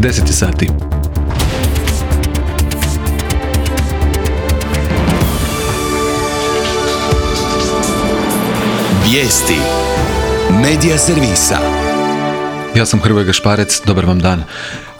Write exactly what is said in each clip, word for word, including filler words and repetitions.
deset sati. Vijesti Medija servisa. Ja sam Hrvoje Gašparec, dobar vam dan.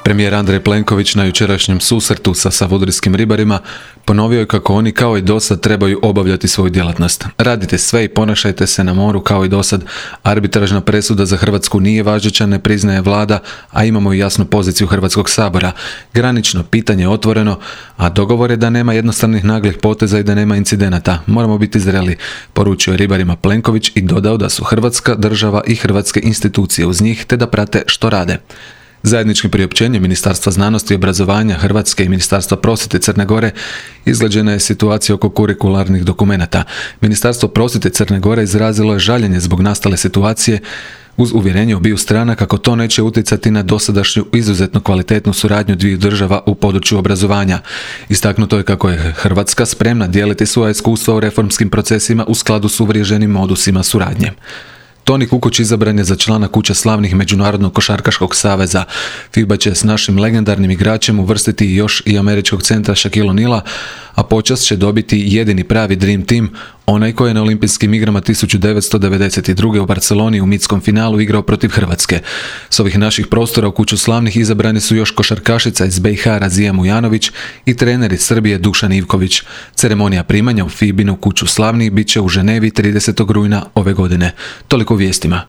Premijer Andrej Plenković na jučerašnjem susretu sa savudrijskim ribarima ponovio je kako oni kao i dosad trebaju obavljati svoju djelatnost. Radite sve i ponašajte se na moru kao i dosad. Arbitražna presuda za Hrvatsku nije važeća, ne priznaje vlada, a imamo i jasnu poziciju Hrvatskog sabora. Granično pitanje je otvoreno, a dogovor je da nema jednostavnih naglih poteza i da nema incidenata. Moramo biti zreli, poručio je ribarima Plenković i dodao da su Hrvatska država i hrvatske institucije uz njih te da prate što rade. Zajedničkim priopćenjem Ministarstva znanosti i obrazovanja Hrvatske i Ministarstva prosvjete Crne Gore izgrađena je situacija oko kurikularnih dokumenata. Ministarstvo prosvjete Crne Gore izrazilo je žaljenje zbog nastale situacije uz uvjerenje obiju strana kako to neće utjecati na dosadašnju izuzetno kvalitetnu suradnju dviju država u području obrazovanja. Istaknuto je kako je Hrvatska spremna dijeliti svoja iskustva u reformskim procesima u skladu s uvriježenim modusima suradnje. Toni Kukoć izabran je za člana Kuće slavnih Međunarodnog košarkaškog saveza. FIBA će s našim legendarnim igračem uvrstiti još i američkog centra Shaquille O'Neala, a počast će dobiti jedini pravi Dream Team, onaj koji je na olimpijskim igrama tisuću devetsto devedeset druge. u Barceloni u mitskom finalu igrao protiv Hrvatske. S ovih naših prostora u Kuću slavnih izabrani su još košarkašica iz B i H Razija Mujanović i trener iz Srbije Dušan Ivković. Ceremonija primanja u FIBinu Kuću slavnih bit će u Ženevi tridesetog rujna ove godine. Toliko u vijestima.